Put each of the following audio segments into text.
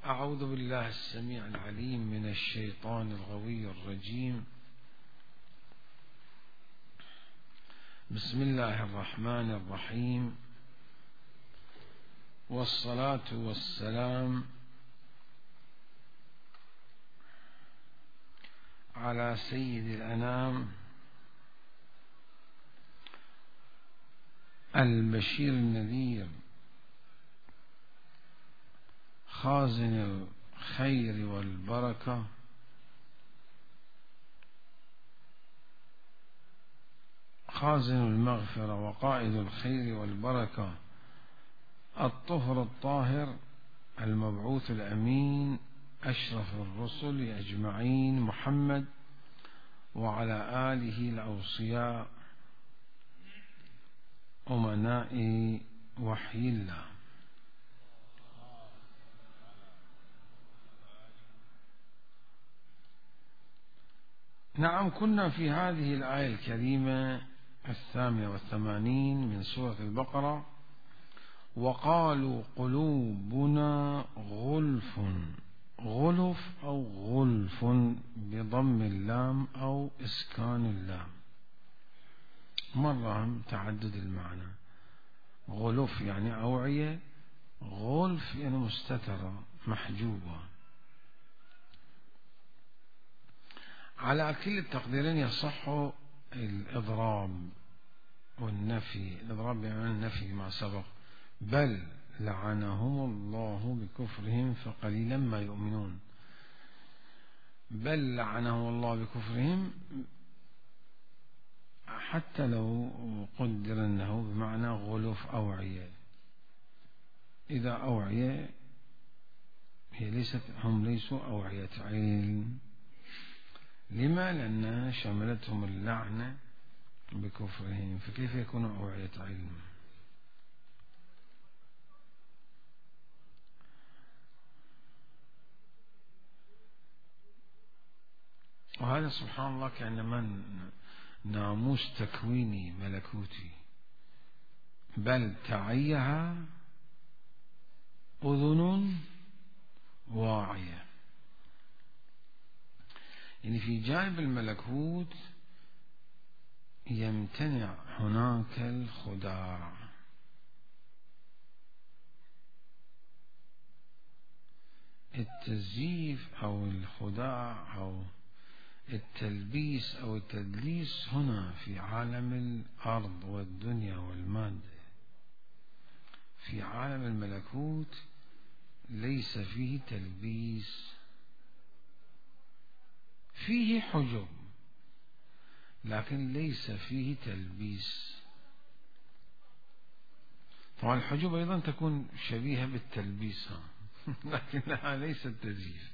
أعوذ بالله السميع العليم من الشيطان الغوي الرجيم. بسم الله الرحمن الرحيم، والصلاة والسلام على سيد الأنام البشير النذير خازن الخير والبركة، خازن المغفرة وقائد الخير والبركة، الطهر الطاهر المبعوث الأمين أشرف الرسل أجمعين، محمد وعلى آله الأوصياء أمناء وحي الله. نعم، كنا في هذه الآية الكريمة 88 من سورة البقرة. وقالوا قلوبنا غلف، غلف أو غلف بضم اللام أو إسكان اللام، مرة تعدد المعنى. غلف يعني أوعية، غلف يعني مستترة محجوبة. على كل التقديرين يصح الإضراب والنفي. الإضراب يعني النفي ما سبق، بل لعنهم الله بكفرهم فقليلا ما يؤمنون. بل لعنهم الله بكفرهم، حتى لو قدر أنه بمعنى غلف أوعية. إذا أوعية هي هم ليسوا أوعية علم. لما؟ لأنها شملتهم اللعنة بكفرهم، فكيف يكونوا أوعية علم؟ وهذا سبحان الله كأنما ناموس تكويني ملكوتي. بل تعيها أذن واعية، يعني في جانب الملكوت يمتنع هناك الخداع. التزييف أو الخداع أو التلبيس أو التدليس هنا في عالم الأرض والدنيا والمادة. في عالم الملكوت ليس فيه تلبيس، فيه حجب لكن ليس فيه تلبيس. طبعا الحجب أيضا تكون شبيهة بالتلبيس لكنها ليست تزييف.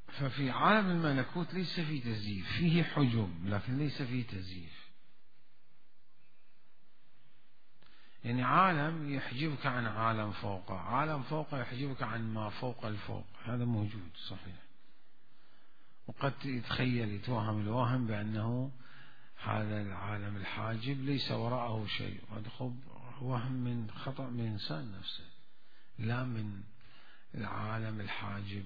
ففي عالم الملكوت ليس فيه تزييف، فيه حجب لكن ليس فيه تزييف. يعني عالم يحجبك عن عالم فوقه، عالم فوقه يحجبك عن ما فوق الفوق، هذا موجود صحيح. وقد يتوهم الواهم بأنه هذا العالم الحاجب ليس وراءه شيء، وهذا وهم من خطأ من الإنسان نفسه، لا من العالم الحاجب.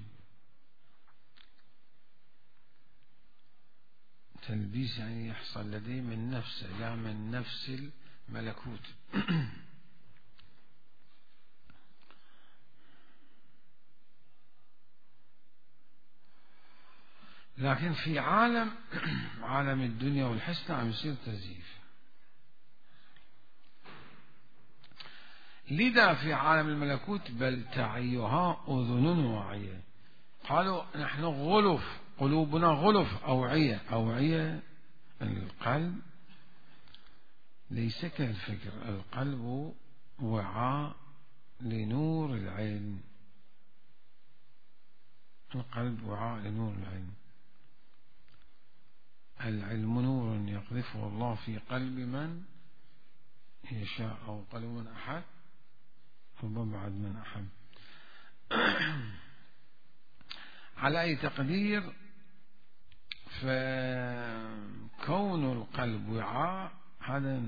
تلبيس يعني يحصل لديه من نفسه لا من نفس الملكوت. لكن في عالم الدنيا والحس عم يصير تزييف. لذا في عالم الملكوت بل تعيها أذن واعية. قالوا نحن غلف، قلوبنا غلف أوعية. أوعية القلب ليس كالفكر، القلب وعاء لنور العلم. القلب وعاء لنور العلم. العلم نور يقذفه الله في قلب من يشاء، أو قلب من أحد أو مبعد من أحد. على أي تقدير فكون القلب وعاء هذا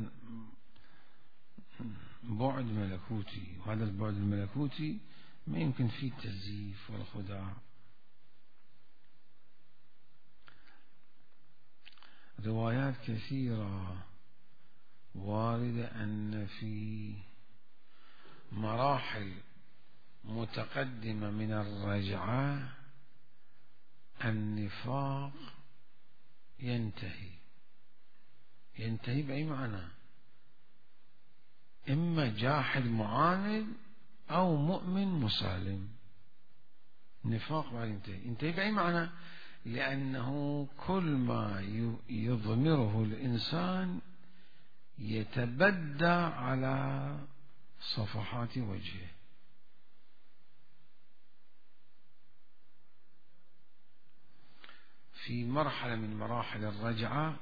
بعد ملكوتي، وهذا البعد الملكوتي ما يمكن فيه التزييف والخداع. روايات كثيرة واردة أن في مراحل متقدمة من الرجعة النفاق ينتهي بأي معنى؟ إما جاحد معاند أو مؤمن مسالم. نفاق ما ينتهي بأي معنى؟ لأنه كل ما يضمره الإنسان يتبدى على صفحات وجهه. في مرحلة من مراحل الرجعة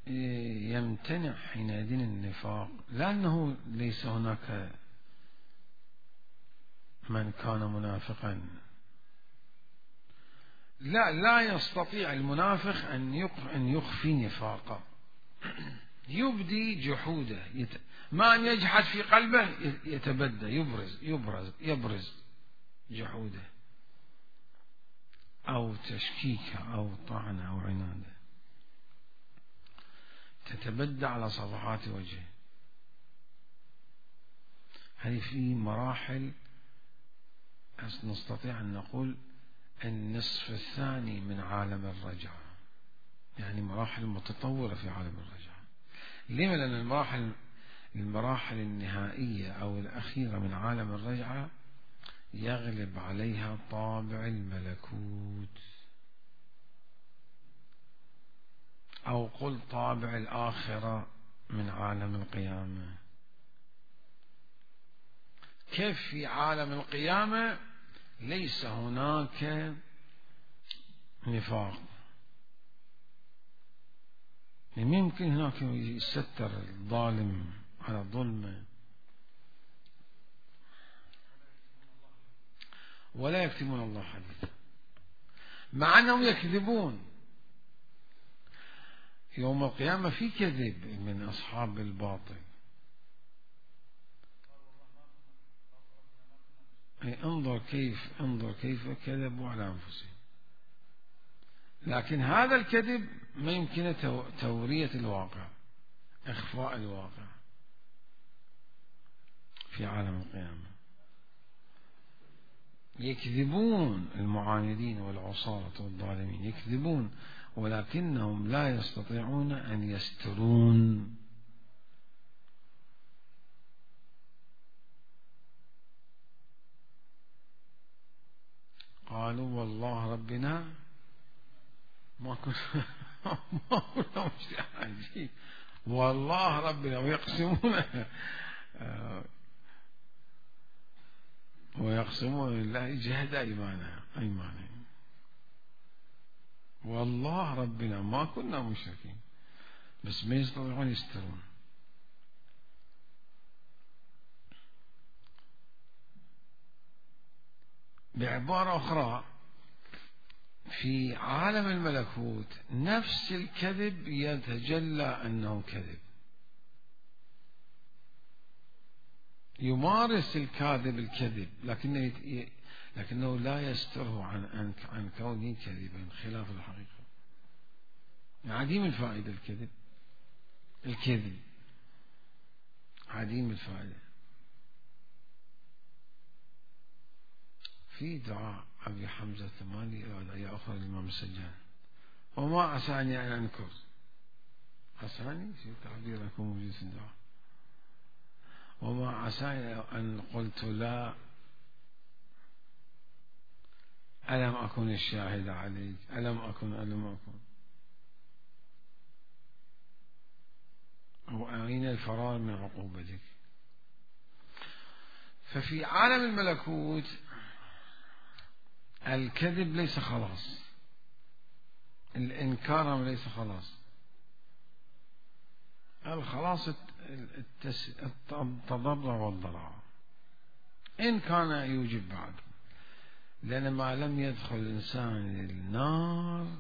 يمتنع حينئذ النفاق، لأنه ليس هناك من كان منافقا، لا يستطيع المنافق أن يخفي نفاقه، يبدي جحوده، ما أن يجحد في قلبه، يتبدى، يبرز جحوده أو تشكيكه أو طعنه أو عناده، تتبدى على صفحات وجهه. هذه في مراحل نستطيع أن نقول النصف الثاني من عالم الرجعة، يعني مراحل متطورة في عالم الرجعة. لما؟ لأن المراحل النهائية أو الأخيرة من عالم الرجعة يغلب عليها طابع الملكوت، أو قل طابع الآخرة من عالم القيامة. كيف في عالم القيامة ليس هناك نفاق، يمكن هناك يستر الظالم على ظلمه ولا يكتمون الله حديثا، مع أنهم يكذبون. يوم القيامة في كذب من أصحاب الباطل. انظر كيف كذبوا على أنفسهم. لكن هذا الكذب ما يمكن تورية الواقع، إخفاء الواقع في عالم القيامة. يكذبون المعاندين والعصاة والظالمين، يكذبون، ولكنهم لا يستطيعون أن يسترون. قالوا والله ربنا ما كنا مشركين، والله ربنا، ويقسمون لله جهد أيمانهم، والله ربنا ما كنا مشركين، بس ما يستطيعون يسترون. بعبارة أخرى، في عالم الملكوت نفس الكذب يتجلى أنه كذب، يمارس الكاذب الكذب، لكنه لا يستره عن كونه كذبا خلاف الحقيقة. عديم الفائدة الكذب عديم الفائدة. في دعاء أبي حمزة الثمالي أدعية أخرى للإمام السجان: وما عساني أن أنكر. عساني في تعبير يكون موجود في الدعاء. وما عساني أن قلت لا، ألم أكن الشاهد عليك، ألم أكن وأين الفرار من عقوبتك. ففي عالم الملكوت الكذب ليس خلاص، الإنكار ليس خلاص، الخلاص التضرع والضرع إن كان يوجب بعد. لأن ما لم يدخل الإنسان النار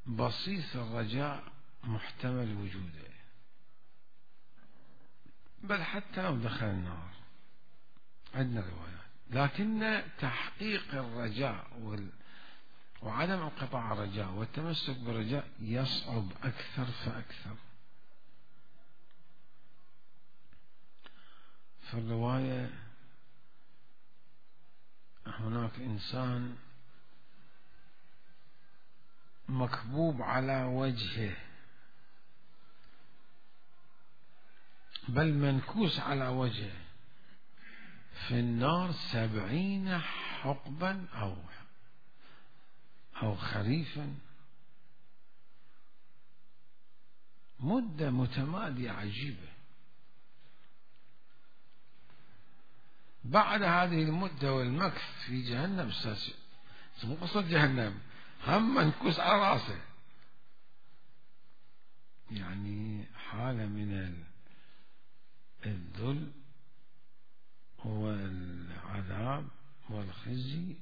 بصيص الرجاء محتمل وجوده، بل حتى لو دخل النار عندنا روايات، لكن تحقيق الرجاء وعدم انقطاع الرجاء والتمسك بالرجاء يصعب أكثر فأكثر. في الرواية هناك إنسان مكبوب على وجهه، بل منكوس على وجهه في النار 70 حقبا أو خريفا، مدة متمادية عجيبة. بعد هذه المدة والمكث في جهنم، مو قصة جهنم، هم منكوس على راسه، يعني حالة من الذل والعذاب والخزي،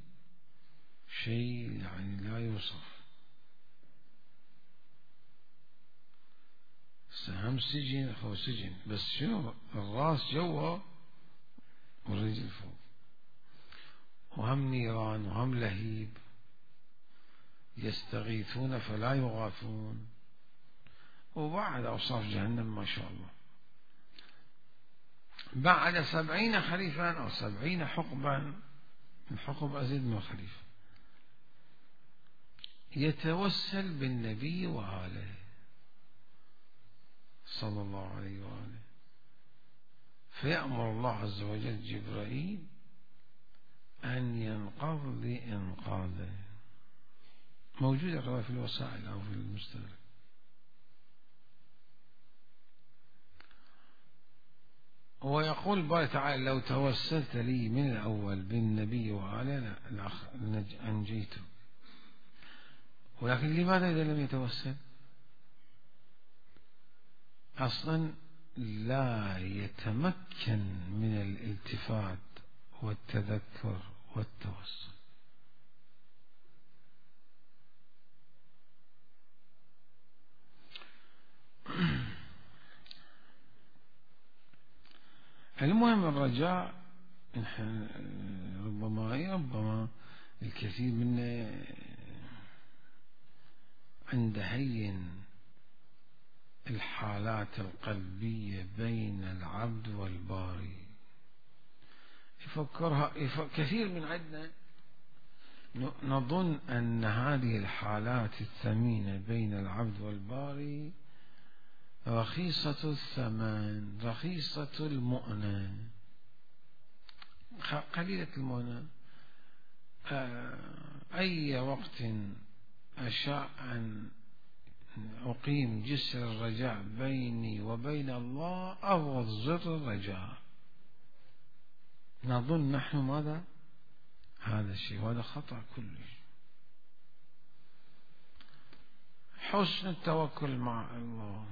شيء يعني لا يوصف. هم سجن أو سجن، بس شنو الراس جوا والرجل فوق، وهم نيران وهم لهيب، يستغيثون فلا يغاثون، وبعد أوصاف جهنم ما شاء الله. بعد 70 خريفا أو 70 حقبا، الحقب أزيد من الخريف، يتوسل بالنبي وآله صلى الله عليه وآله، فيأمر الله عز وجل جبرائيل أن ينقض لإنقاذه. موجودة الرواية في الوسائل أو في المستدرك. ويقول الله تعالى: لو توسلت لي من الأول بالنبي وآله أنجيته. ولكن لماذا إذا لم يتوسل؟ أصلا لا يتمكن من الالتفات والتذكر والتوسل. المهم الرجاء ربما الكثير منا عند هين الحالات القلبية بين العبد والباري كثير من عندنا نظن أن هذه الحالات الثمينة بين العبد والباري رخيصة الثمن، رخيصة المؤنة، قليلة المؤنة. أي وقت أشاء أن أقيم جسر الرجاء بيني وبين الله أضغط زر الرجاء، نظن نحن ماذا؟ هذا الشيء، وهذا خطأ كلش. حسن التوكل مع الله،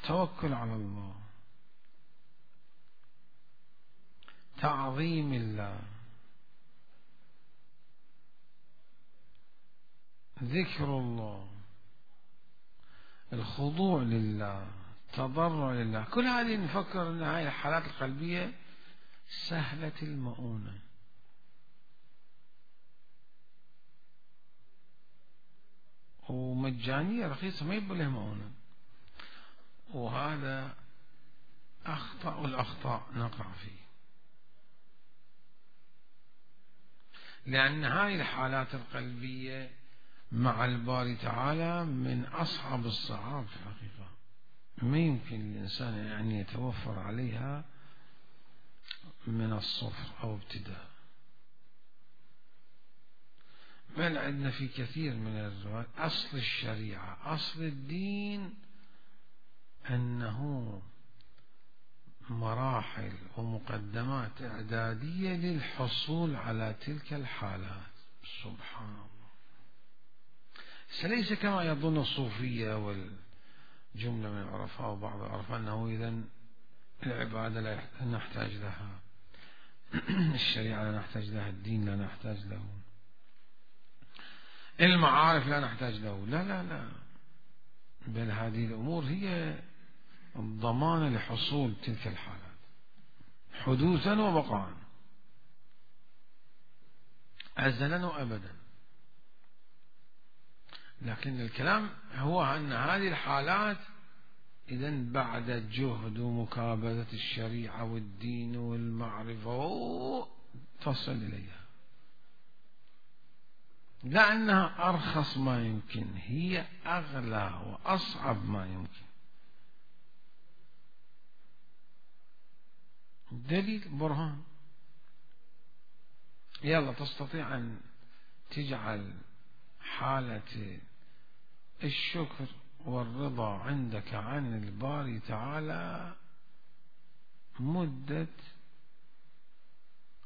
توكل على الله، تعظيم الله، ذكر الله، الخضوع لله، تضرع لله، كل هذه نفكر أن هذه الحالات القلبية سهلة المؤونة. ومجانية رخيصة، ما يبقى لها مؤونة. وهذا أخطأ الأخطاء نقع فيه، لأن هذه الحالات القلبية مع الباري تعالى من أصعب الصعاب في الحقيقة، ما يمكن الإنسان أن يتوفر عليها من الصفر أو ابتداء. بل عندنا في كثير من الروايات أصل الشريعة، أصل الدين، أنه مراحل ومقدمات إعدادية للحصول على تلك الحالات. سبحان الله. ليس كما يظن الصوفية والجملة من العرفاء وبعض العرفاء أنه إذن العبادة لا نحتاج لها، الشريعة لا نحتاج لها، الدين لا نحتاج له، المعارف لا نحتاج له، لا لا لا، بل هذه الأمور هي الضمان لحصول تلك الحالات حدوثا وبقاء أزلا وأبدا. لكن الكلام هو أن هذه الحالات إذن بعد جهد ومكابدة الشريعة والدين والمعرفة تصل إليها، لأنها أرخص ما يمكن، هي أغلى وأصعب ما يمكن. دليل برهان. يلا تستطيع أن تجعل حالة الشكر والرضا عندك عن الباري تعالى مدة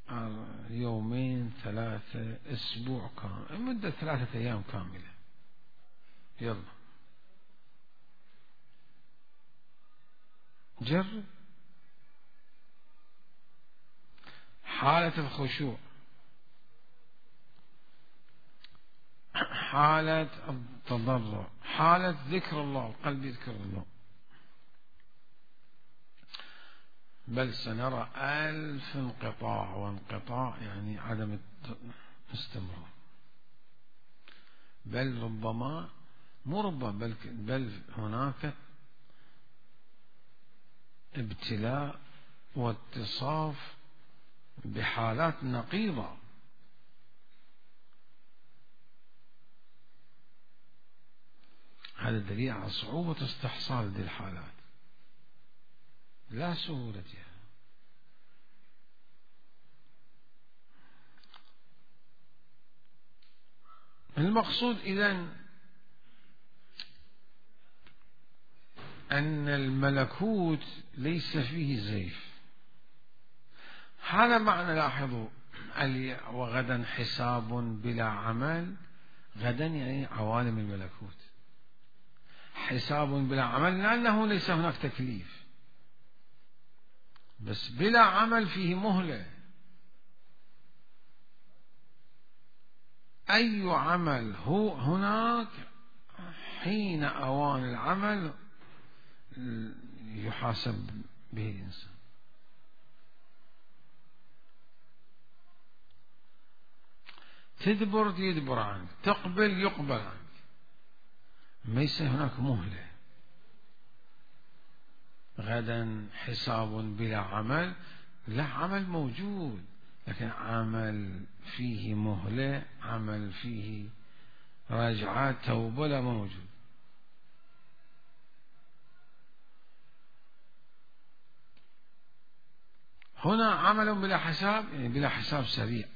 2 3 أسبوع كامل، مدة 3 أيام كاملة. يلا جرب. حالة الخشوع، حالة التضرع، حالة ذكر الله، القلب يذكر الله، بل سنرى 1000 انقطاع، وانقطاع يعني عدم الاستمرار، بل ربما مو ربما بل هناك ابتلاء واتصاف بحالات نقيضة. هذا دليل على صعوبة استحصال هذه الحالات، لا سهولتها. المقصود إذن أن الملكوت ليس فيه زيف. هذا معنى، لاحظوا، وغدا حساب بلا عمل. غدا يعني عوالم الملكوت، حساب بلا عمل لأنه ليس هناك تكليف، بس بلا عمل فيه مهلة. أي عمل هو هناك حين أوان العمل يحاسب به الإنسان. تدبر يدبر عنك، تقبل يقبل عنك، ليس هناك مهلة. غدا حساب بلا عمل، لا، عمل موجود لكن عمل فيه مهلة، عمل فيه راجعات توبة لا موجود. هنا عمل بلا حساب، يعني بلا حساب سريع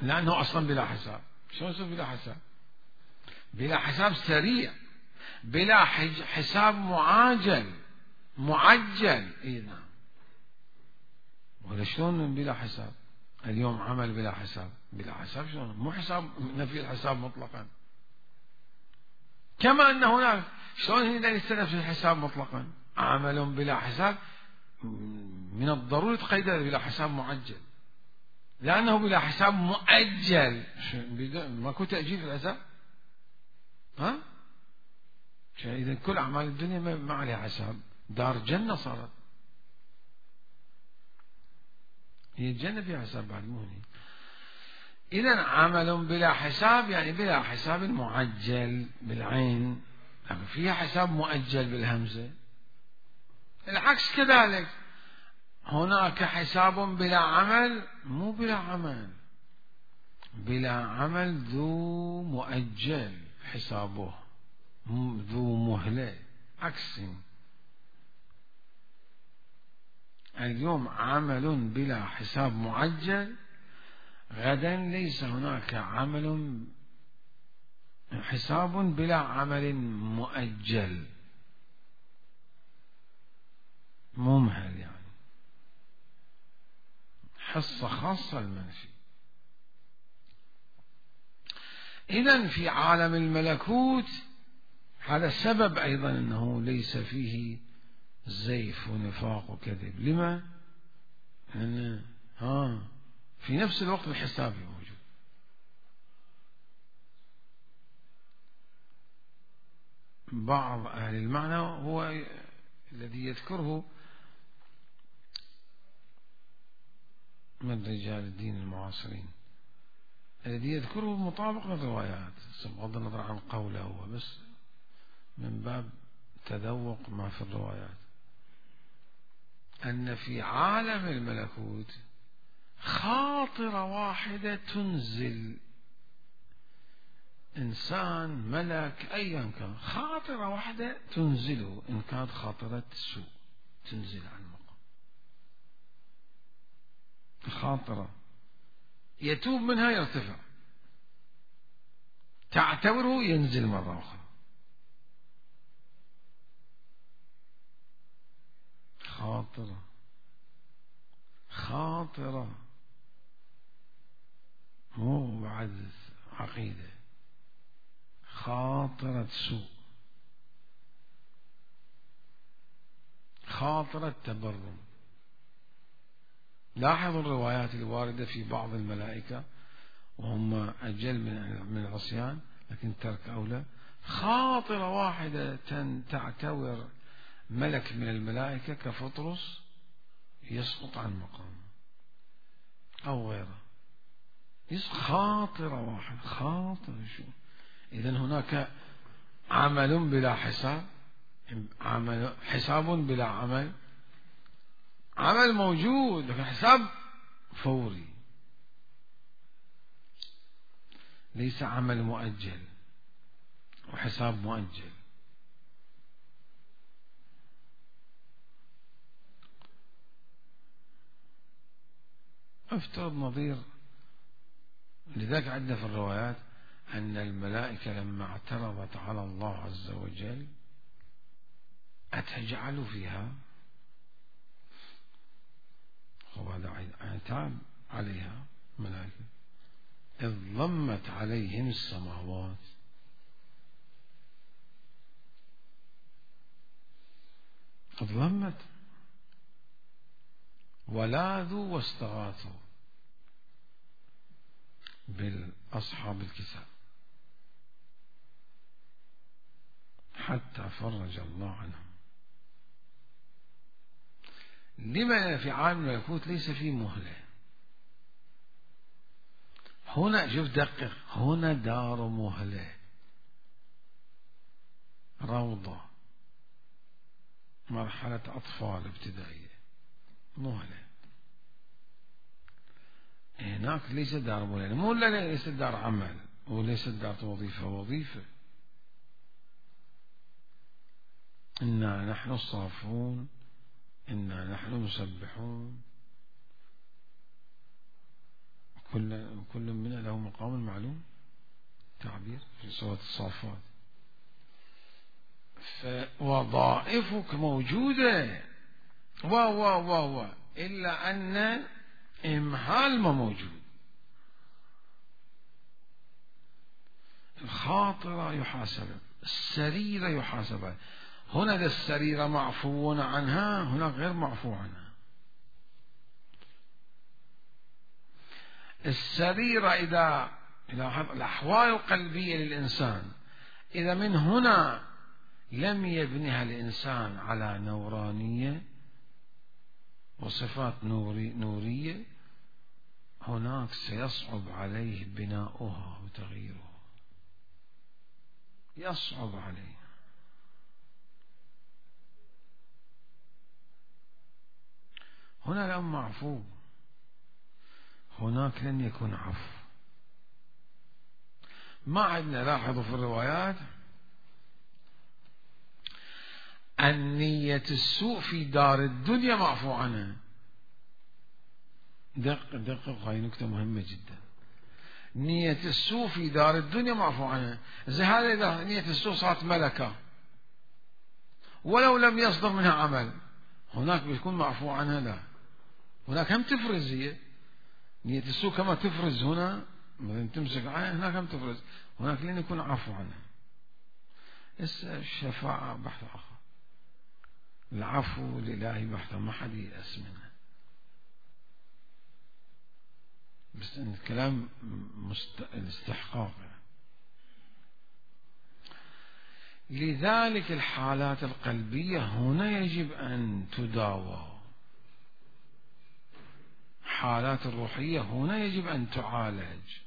لأنه أصلا بلا حساب. شو يصير بلا حساب؟ بلا حساب سريع، بلا حساب معجل. اي نعم. ولا شلون بلا حساب؟ اليوم عمل بلا حساب، بلا حساب شلون؟ مو حساب نفي الحساب مطلقا، كما أن هناك شلون هنا يستنفي الحساب مطلقا. عمل بلا حساب من الضروري تقيد بلا حساب معجل، لأنه بلا حساب مؤجل. ماكو تأجيل في الحساب. ها؟ إذا كل أعمال الدنيا ما عليها حساب، دار جنة صارت. هي الجنة فيها حساب بعد مو هي. إذا عمل بلا حساب يعني بلا حساب معجل بالعين، لكن فيها حساب مؤجل بالهمزة. العكس كذلك، هناك حساب بلا عمل، مو بلا عمل، بلا عمل ذو مؤجل حسابه، ذو مهلة. عكس، اليوم عمل بلا حساب معجل، غدا ليس هناك عمل حساب بلا عمل مؤجل ممهل، يعني حصة خاصة المنفي. إذن في عالم الملكوت هذا السبب أيضا أنه ليس فيه زيف ونفاق وكذب. لما؟ لأن في نفس الوقت الحسابي موجود. بعض أهل المعنى هو الذي يذكره من رجال الدين المعاصرين، الذي يذكره مطابق للروايات بغض النظر عن قوله هو، بس من باب تذوق ما في الروايات، أن في عالم الملكوت خاطرة واحدة تنزل إنسان ملك أيا كان، خاطرة واحدة تنزله، إن كانت خاطرة سوء تنزل عن المقام، خاطرة يتوب منها يرتفع، تعتبره ينزل مرة أخرى. خاطرة مو بعد عقيدة، خاطرة سوء، خاطرة تبرم. لاحظوا الروايات الواردة في بعض الملائكة وهم أجل من العصيان، لكن ترك أولى. خاطرة واحدة تعتبر ملك من الملائكة كفطرس يسقط عن مقامه أو غيره، خاطرة واحدة، خاطرة شو. إذن هناك عمل بلا حساب، حساب بلا عمل، عمل موجود لكن حساب فوري، ليس عمل مؤجل وحساب مؤجل. افترض نظير، لذلك عندنا في الروايات أن الملائكة لما اعترضت على الله عز وجل أتجعل فيها، وهذا عتاب عليها ملائكة، إذ ضمت عليهم السماوات، إذ ضمت ولاذوا واستغاثوا بالأصحاب الكتاب حتى فرج الله عنهم. لما في عالم الملكوت ليس فيه مهلة؟ هنا شوف دقق، هنا دار مهلة، روضة، مرحلة أطفال ابتدائية، مهلة. هناك ليس دار مهلة، مهلة ليس دار عمل وليس دار وظيفة. إنا نحن الصافون، إنا نحن المسبحون، كل منا له مقام معلوم، تعبير في سورة الصافات. فوظائفك موجودة إلا أن إمهال ما موجود. الخاطرة يحاسب، السريرة يحاسب. هنا السريرة معفو عنها، هناك غير معفو عنها. السريرة إذا الأحوال القلبية للإنسان إذا من هنا لم يبنها الإنسان على نورانية وصفات نورية، هناك سيصعب عليه بناؤها وتغييرها، يصعب عليه. هنا لم معفو، هناك لن يكون عفو. ما عندنا، لاحظوا في الروايات النية السوء في دار الدنيا معفو عنها. دقق، هاي نكتة مهمة جدا. نية السوء في دار الدنيا معفو عنها. زي هذا إذا نية السوء صارت ملكة ولو لم يصدر منها عمل، هناك بيكون معفو عنها. لا، هناك هم تفرز، هي نية السوء كما تفرز هنا مثلا تمسك عنها، هناك هم تفرز، هناك لن يكون عفو عنها. الشفاعة بحث آخر، العفو الإلهي بحث، ما حد يأس منه. بس إن الكلام الاستحقاق. لذلك الحالات القلبية هنا يجب أن تداوى، حالات الروحية هنا يجب أن تعالج.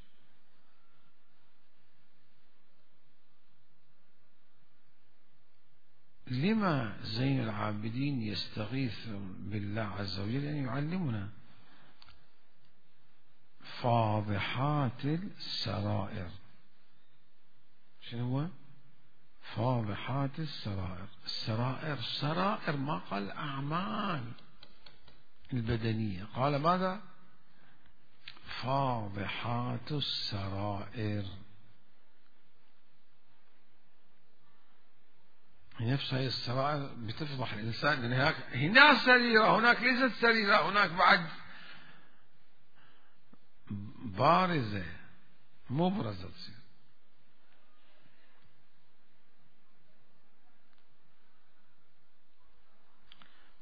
لما زين العابدين يستغيث بالله عز وجل أن يعلمنا فاضحات السرائر؟ شنو هو فاضحات السرائر؟ السرائر، سرائر ما قال أعمال البدنية، قال ماذا؟ فاضحات السرائر. نفس هذه السرائر بتفضح الإنسان، لأن هناك سريرة، هناك ليست سريرة، هناك بعد بارزة مبرزة تصير.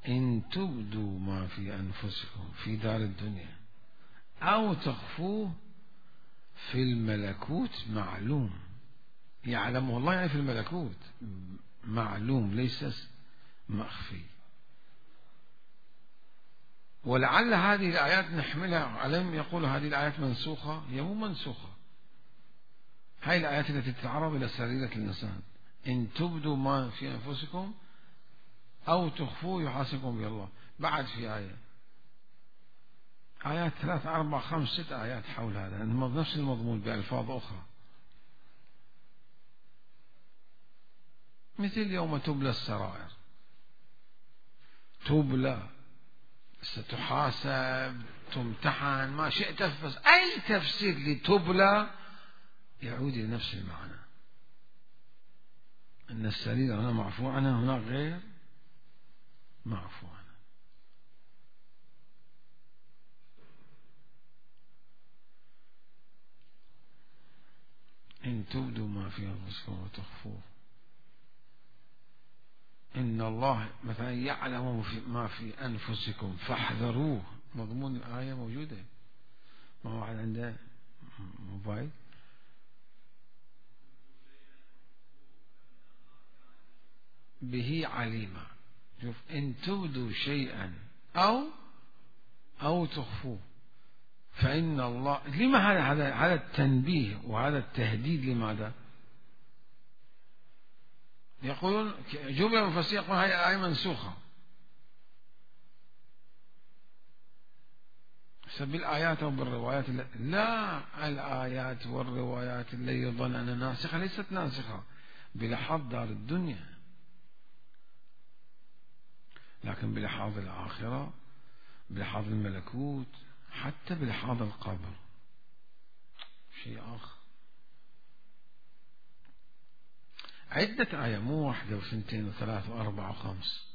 إن تبدوا ما في أنفسكم في دار الدنيا أو تخفوه في الملكوت معلوم، يعلمه الله يعني في الملكوت معلوم ليس مخفي. ولعل هذه الآيات نحملها عليهم، يقول هذه الآيات منسوخة. هي مو منسوخة، هاي الآيات التي تتعرض إلى سريرة الإنسان. إن تبدوا ما في أنفسكم أو تخفوه يحاسبكم به الله. بعد في آيات 3 4 5 6 آيات حول هذا نفس المضمون بألفاظ أخرى، مثل يوم تبلى السرائر، تبلى، ستحاسب، تمتحن، ما شئت. بس أي تفسير لتبلى يعود إلى نفس المعنى، أن السريرة هنا معفو عنها، هناك غير معفو عنها. إن تبدوا ما في أنفسكم وتخفوه إن الله مثلا يعلم ما في أنفسكم فاحذروه. مضمون الآية موجودة. ما واحد عنده موبايل به عليما، شوف إن تبدوا شيئا أو تخفوه فإن الله. لما هذا التنبيه وهذا التهديد؟ لماذا؟ يقولون جملة مفسرة يقول هذه الآية منسوخة بالآيات أو بالروايات. لا، الآيات والروايات اللي يظن أنها ناسخة ليست ناسخة بلحاظ دار الدنيا، لكن بلحاظ الآخرة، بلحاظ الملكوت، حتى بلحاظ القبر شيء آخر. عدة آية، مو واحدة وثنتين وثلاث وأربعة وخمس.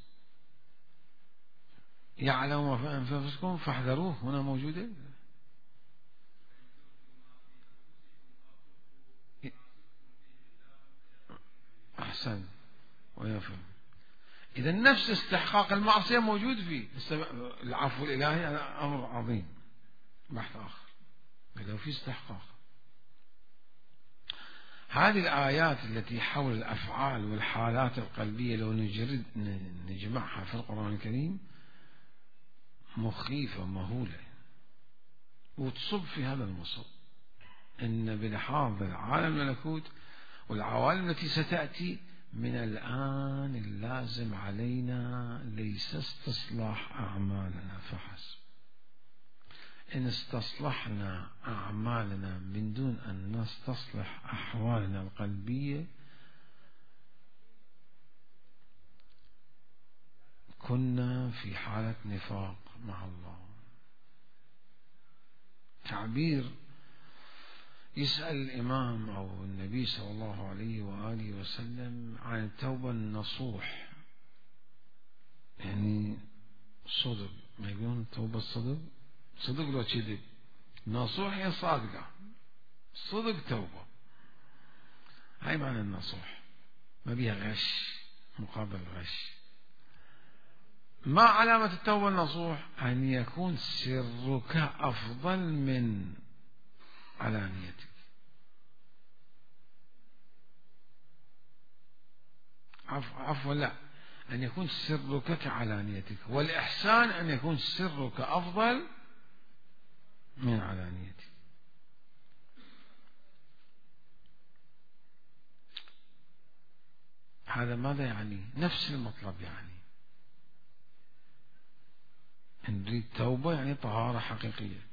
يعلم ما في أنفسكم فاحذروه، هنا موجودة. أحسن ويفهم. إذا نفس استحقاق المعصية موجود فيه. العفو الإلهي هذا أمر عظيم، بحث آخر، لو في استحقاق. هذه الآيات التي حول الأفعال والحالات القلبية لو نجمعها في القرآن الكريم مخيفة مهولة، وتصب في هذا المصب. إن بلحاظ العالم الملكوت والعوالم التي ستأتي من الآن اللازم علينا ليس استصلاح أعمالنا فحسب. إن استصلحنا أعمالنا من دون أن نستصلح أحوالنا القلبية كنا في حالة نفاق مع الله. تعبير يسأل الإمام أو النبي صلى الله عليه وآله وسلم عن التوبة النصوح، يعني صدق، ما يقولون توبة الصدق، صدق لو كذب، نصوح هي صادقة، صدق توبة، هاي معنى النصوح، ما بيها غش مقابل غش. ما علامة التوبة النصوح؟ أن يكون سرك أفضل من علانيتك. عفوا لا، أن يكون سرك كعلانيتك، والإحسان أن يكون سرك أفضل من علانيتك. هذا ماذا يعني؟ نفس المطلب يعني. إن نريد توبة يعني طهارة حقيقية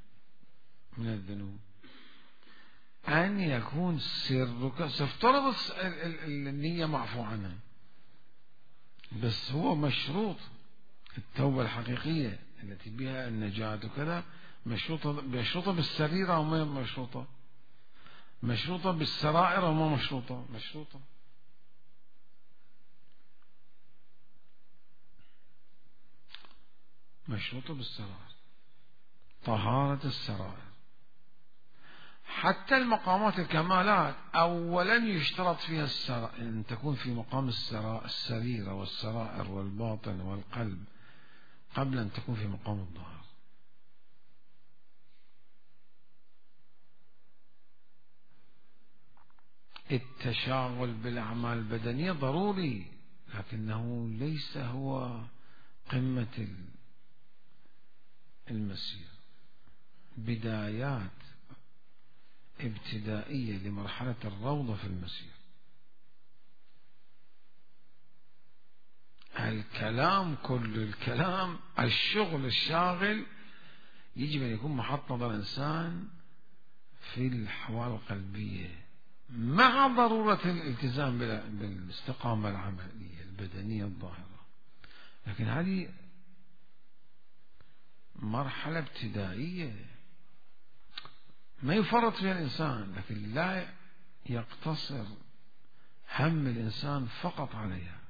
من الذنوب، أن يكون سرك، سفترض النية معفو عنها، بس هو مشروط التوبة الحقيقية التي بها النجاة وكذا، مشروطة بالسريرة وما مشروطة، مشروطة بالسرائر وما مشروطة، مشروطة بالسرائر، طهارة السرائر. حتى المقامات الكمالات أولا يشترط فيها أن تكون في مقام السريرة والسرائر والباطن والقلب قبل أن تكون في مقام الظاهر. التشاغل بالأعمال البدنية ضروري، لكنه ليس هو قمة المسير. بدايات ابتدائية لمرحلة الروضة في المسير. الكلام، كل الكلام، الشغل الشاغل يجب أن يكون محط نظر الإنسان في الأحوال القلبية، مع ضرورة الالتزام بالاستقامة العملية البدنية الظاهرة. لكن هذه مرحلة ابتدائية ما يفرط فيها الإنسان، لكن لا يقتصر هم الإنسان فقط عليها.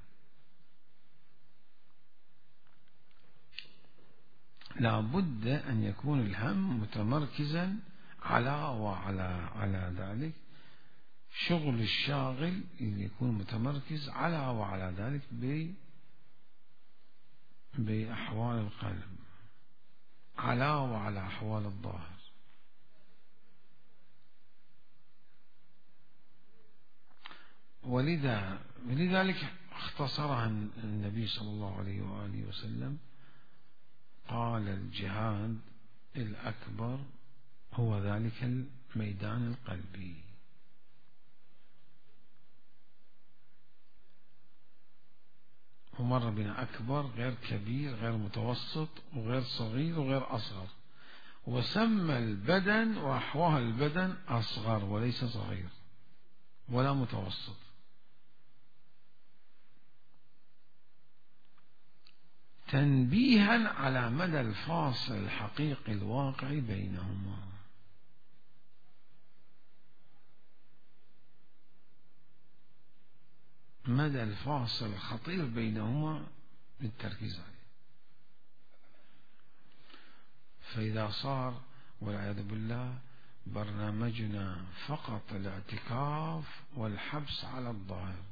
لا بد أن يكون الهم متمركزا على ذلك، شغل الشاغل يكون متمركز على ذلك بأحوال القلب، وعلى أحوال الظاهر. ولذلك اختصرها النبي صلى الله عليه وآله وسلم، قال الجهاد الأكبر هو ذلك الميدان القلبي. ومر بنا أكبر غير كبير غير متوسط وغير صغير وغير أصغر، وسمى البدن وأحوال البدن أصغر وليس صغير ولا متوسط، تنبيها على مدى الفاصل الحقيقي الواقعي بينهما. مدى الفاصل الخطير بينهما بالتركيز عليه. فإذا صار والعياذ بالله برنامجنا فقط الاعتكاف والحبس على الظاهر،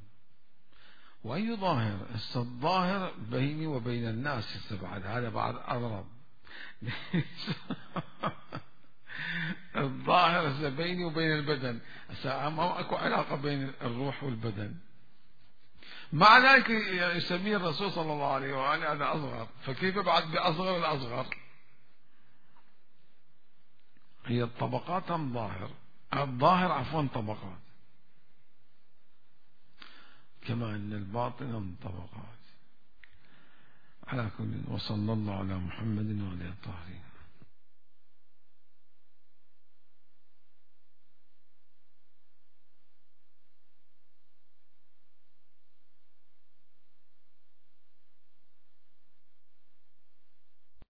وأي ظاهر؟ الظاهر بيني وبين الناس بعد، هذا بعد أضرب. الظاهر بيني وبين البدن، ما أكو علاقة بين الروح والبدن. مع ذلك يسميه الرسول صلى الله عليه وآله هذا أصغر، فكيف بعد بأصغر الأصغر؟ هي الطبقات أم ظاهر؟ الظاهر عفوا طبقات، كما أن الباطن طبقات. على كل، وصلى الله على محمد وعلى آله الطاهرين.